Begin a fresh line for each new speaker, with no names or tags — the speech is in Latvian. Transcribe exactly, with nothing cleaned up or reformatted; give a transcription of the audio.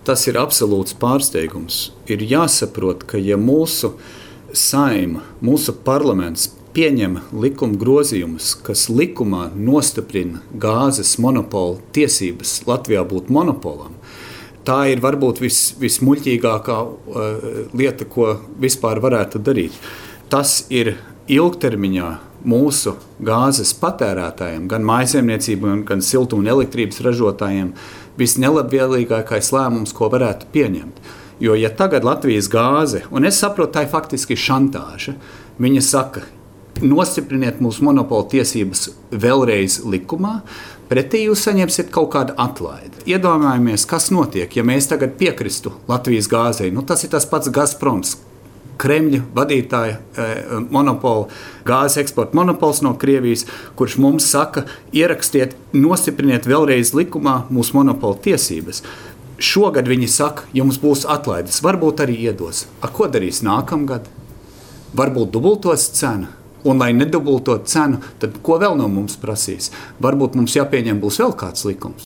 Tas ir absolūts pārsteigums. Ir jāsaprot, ka ja mūsu Saeima, mūsu parlaments pieņem likuma grozījumus, kas likumā nostiprina gāzes monopolu tiesības Latvijā būt monopolam, tā ir varbūt vis, vismuļķīgākā uh, lieta, ko vispār varētu darīt. Tas ir ilgtermiņā mūsu gāzes patērētājiem, gan mājsaimniecībām, gan siltuma un elektrības ražotājiem, visnelabvēlīgākais lēmums, ko varētu pieņemt. Jo, ja tagad Latvijas gāze, un es saprotu, tā ir faktiski šantāža, viņa saka, nostipriniet mūsu monopola tiesības vēlreiz likumā, pretī jūs saņemsiet kaut kādu atlaidi. Iedomājamies, kas notiek, ja mēs tagad piekristu Latvijas gāzei. Nu, tas ir tas pats Gazproms, Kremļa vadītāja eh, monopola, gāzes eksporta monopols no Krievijas, kurš mums saka, ierakstiet, nostipriniet vēlreiz likumā mūsu monopola tiesības. Šogad viņi saka, jums būs atlaides, varbūt arī iedos. A, ko darīs nākamgad? Varbūt dubultos cenu. Un, lai nedubultot cenu, tad ko vēl no mums prasīs? Varbūt mums jāpieņem būs vēl kāds likums.